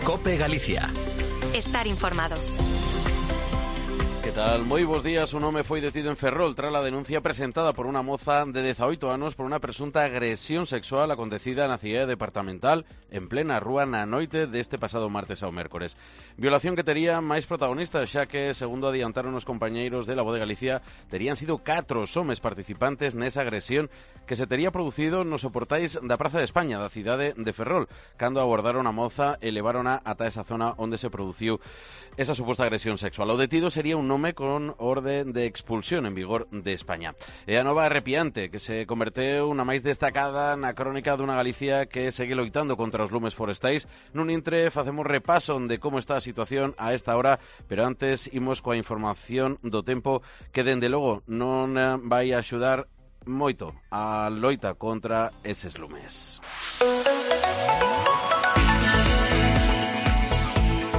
COPE Galicia. Estar informado. Que tal? Moi bons días. Un home foi detido en Ferrol tras a denuncia presentada por unha moza de 18 anos por unha presunta agresión sexual acontecida na cidade departamental en plena rúa na noite deste pasado martes ao mércores. Violación que tería máis protagonistas, xa que, segundo adiantaron os compañeiros de La Voz de Galicia, terían sido 4 homes participantes nesa agresión que se tería producido nos soportais da Praza de España da cidade de Ferrol, cando abordaron a moza e leváronha ata esa zona onde se produciu esa suposta agresión sexual. O detido sería un nome con orden de expulsión en vigor de España. E a nova arrepiante que se converteu na máis destacada na crónica dunha Galicia que segue loitando contra os lumes forestais. Nun intre facemos repaso de como está a situación a esta hora, pero antes imos coa información do tempo que dende logo non vai axudar moito a loita contra eses lumes.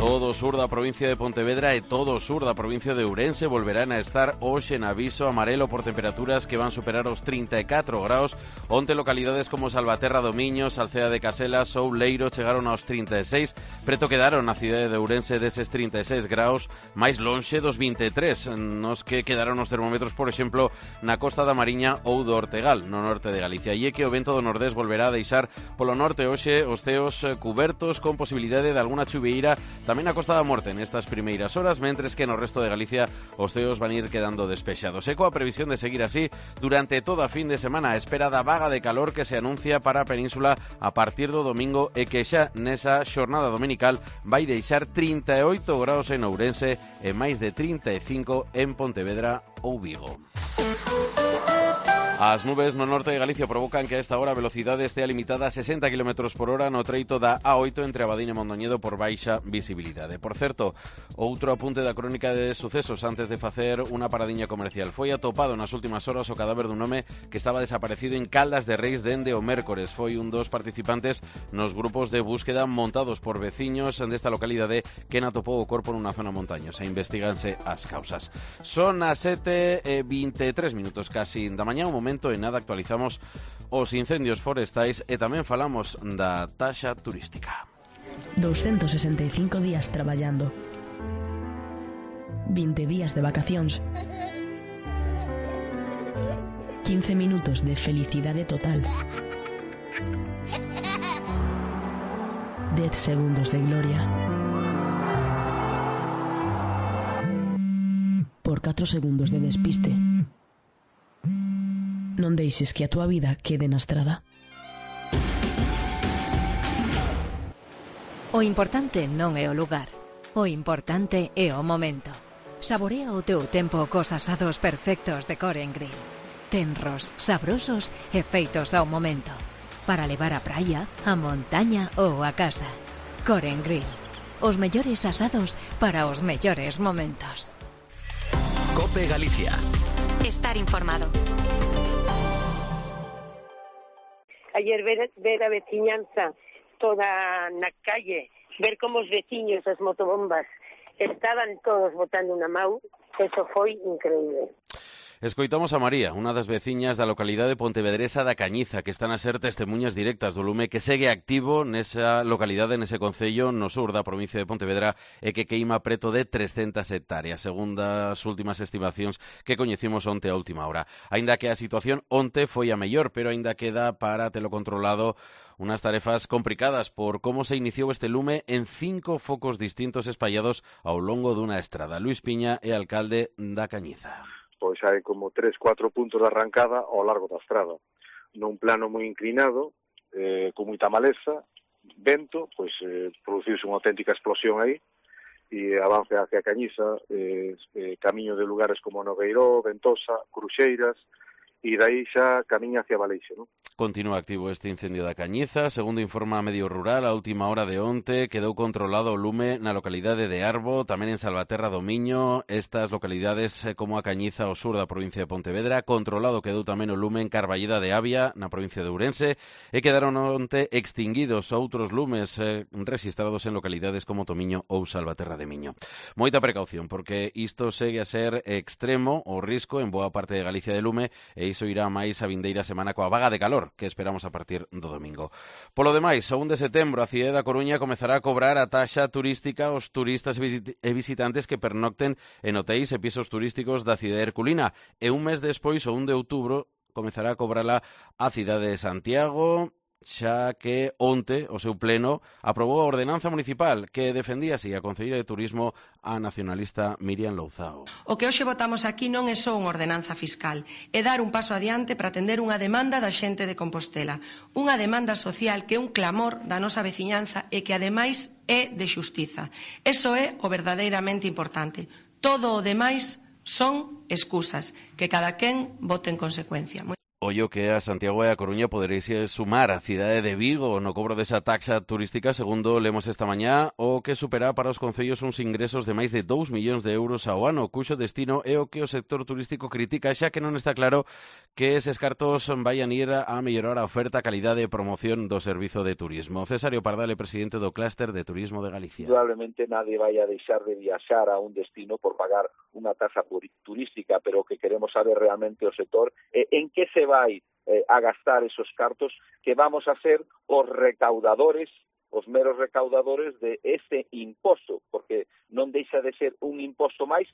Todo o sur da provincia de Pontevedra e todo o sur da provincia de Ourense volverán a estar hoxe en aviso amarelo por temperaturas que van superar os 34 graus. Onte localidades como Salvaterra do Miño, Salcea de Caselas ou Leiro chegaron aos 36. Preto quedaron na cidade de Ourense deses 36 graus, máis lonxe dos 23, nos que quedaron os termómetros, por exemplo, na Costa da Mariña ou do Ortegal, no norte de Galicia. E é que o vento do nordés volverá a deixar polo norte hoxe os ceos cubertos con posibilidade de alguna chuvieira tamén na Costa da Morte nestas primeiras horas, mentres que no resto de Galicia os ceos van ir quedando despexados. E coa previsión de seguir así durante toda a fin de semana, a espera da vaga de calor que se anuncia para a península a partir do domingo e que xa nesa xornada dominical vai deixar 38 graus en Ourense e máis de 35 en Pontevedra ou Vigo. As nubes no norte de Galicia provocan que a esta hora a velocidade estea limitada a 60 km por hora no treito da A8 entre Abadín e Mondoñedo por baixa visibilidade. Por certo, outro apunte da crónica de sucesos antes de facer unha paradiña comercial. Foi atopado nas últimas horas o cadáver dun home que estaba desaparecido en Caldas de Reis dende o mércores. Foi un dos participantes nos grupos de búsqueda montados por veciños desta localidade que atopou o corpo nunha zona montañosa. Investíganse as causas. Son as 7:23 minutos casi da mañá, un momento e nada actualizamos os incendios forestais e tamén falamos da taxa turística. 265 días traballando, 20 días de vacacións, 15 minutos de felicidade total, 10 segundos de gloria, por 4 segundos de despiste. Non deixes que a túa vida quede na estrada. O importante non é o lugar. O importante é o momento. Saborea o teu tempo cos asados perfectos de Coren Grill. Tenros, sabrosos e feitos ao momento. Para levar á praia, á montaña ou á casa. Coren Grill. Os mellores asados para os mellores momentos. COPE Galicia. Estar informado. Ayer ver a veciñanza toda na calle, ver como os veciños, as motobombas, estaban todos botando unha mau, eso foi increíble. Escoitamos a María, unha das veciñas da localidade pontevedresa da Cañiza, que están a ser testemunhas directas do lume que segue activo nesa localidade, nese concello no sur da provincia de Pontevedra e que queima preto de 300 hectáreas, segundo as últimas estimacións que coñecimos onte a última hora. Aínda que a situación onte foi a mellor, pero aínda queda para telo controlado unhas tarefas complicadas por como se iniciou este lume en 5 focos distintos espallados ao longo dunha estrada. Luís Piña é alcalde da Cañiza. Pois hai como 3-4 puntos de arrancada ao largo da estrada. Nun plano moi inclinado, con moita maleza, vento, pois produciuse unha auténtica explosión aí, e avance hacia a Cañiza, camiño de lugares como Nogueiró, Ventosa, Cruxeiras, e dai xa camiña hacia Valeixe, non? Continúa activo este incendio da Cañiza. Segundo informa a Medio Rural, a última hora de onte quedou controlado o lume na localidade de Arbo, tamén en Salvaterra do Miño, estas localidades como a Cañiza ao sur da provincia de Pontevedra. Controlado quedou tamén o lume en Carballeda de Avia, na provincia de Ourense, e quedaron onte extinguidos outros lumes registrados en localidades como Tomiño ou Salvaterra de Miño. Moita precaución, porque isto segue a ser extremo o risco en boa parte de Galicia de lume, e iso irá máis a vindeira semana coa vaga de calor que esperamos a partir do domingo. Polo demais, o 1 de setembro a cidade da Coruña comezará a cobrar a taxa turística aos turistas e visitantes que pernocten en hotéis e pisos turísticos da cidade herculina, e un mes despois, o 1 de outubro, comezará a cobrala a cidade de Santiago, xa que onte o seu pleno aprobou a ordenanza municipal que defendía así a concelleira de Turismo, a nacionalista Miriam Louzao. O que hoxe votamos aquí non é só unha ordenanza fiscal, é dar un paso adiante para atender unha demanda da xente de Compostela, unha demanda social que é un clamor da nosa veciñanza e que ademais é de xustiza. Eso é o verdadeiramente importante. Todo o demais son excusas, que cada quen vote en consecuencia. Ollo que a Santiago e a Coruña poderéis sumar a cidade de Vigo no cobro desa taxa turística, segundo lemos esta mañá, o que supera para os concellos uns ingresos de máis de 2 millóns de euros ao ano, cuxo destino é o que o sector turístico critica, xa que non está claro que eses cartos vayan ir a mellorar a oferta, calidade e promoción do servizo de turismo. Cesario Pardal é presidente do Clúster de Turismo de Galicia. Probablemente nadie vaya a deixar de viaxar a un destino por pagar unha taxa turística, pero o que queremos saber realmente o sector é en que se vai a gastar esos cartos, que vamos a ser os recaudadores, os meros recaudadores de ese imposto, porque non deixa de ser un imposto máis.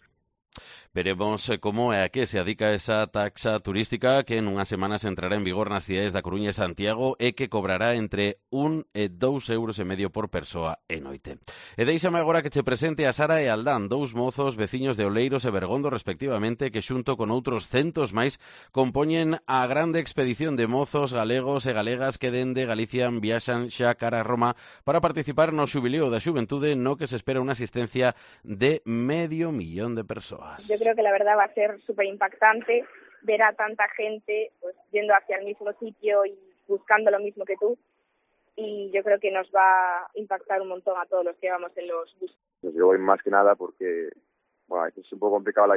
Veremos como é a que se adica esa taxa turística que en unhas semanas entrará en vigor nas cidades da Coruña e Santiago e que cobrará entre 1 e 2,5 euros por persoa e noite. E deixame agora que che presente a Sara e Aldán, dous mozos veciños de Oleiros e Bergondo respectivamente, que xunto con outros centos máis compoñen a grande expedición de mozos galegos e galegas que dende Galicia viaxan xa cara a Roma para participar no xubileo da xuventude, no que se espera unha asistencia de 500,000 de persoas. Yo creo que la verdad va a ser súper impactante ver a tanta gente pues yendo hacia el mismo sitio y buscando lo mismo que tú, y yo creo que nos va a impactar un montón a todos los que vamos en los buses. Yo voy más que nada porque es un poco complicado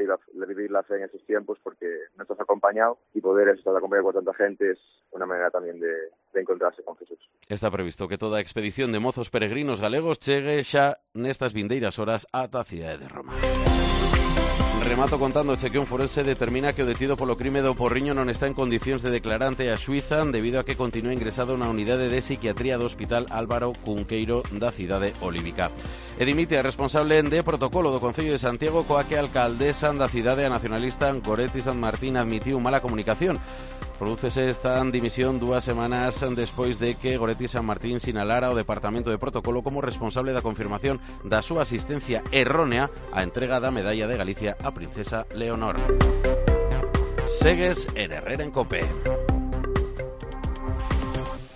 vivir la fe en esos tiempos porque no estás acompañado, y poder estar acompañado con tanta gente es una manera también de encontrarse con Jesús. Está previsto que toda a expedición de mozos peregrinos galegos chegue xa nestas vindeiras horas ata a cidade de Roma. Remato contándoche que un forense determina que o detido polo crime do Porriño non está en condicións de declarante a xuíza debido a que continúa ingresado na unidade de psiquiatría do Hospital Álvaro Cunqueiro da cidade olívica. E dimite a responsable de protocolo do Concello de Santiago, coa que a alcaldesa da cidade, a nacionalista Goretti San Martín, admitiu mala comunicación. Prodúcese esta dimisión 2 semanas despois de que Goretti San Martín sinalara o Departamento de Protocolo como responsable da confirmación da súa asistencia errónea á entrega da Medalla de Galicia á princesa Leonor. Segues en Herrera en Cope.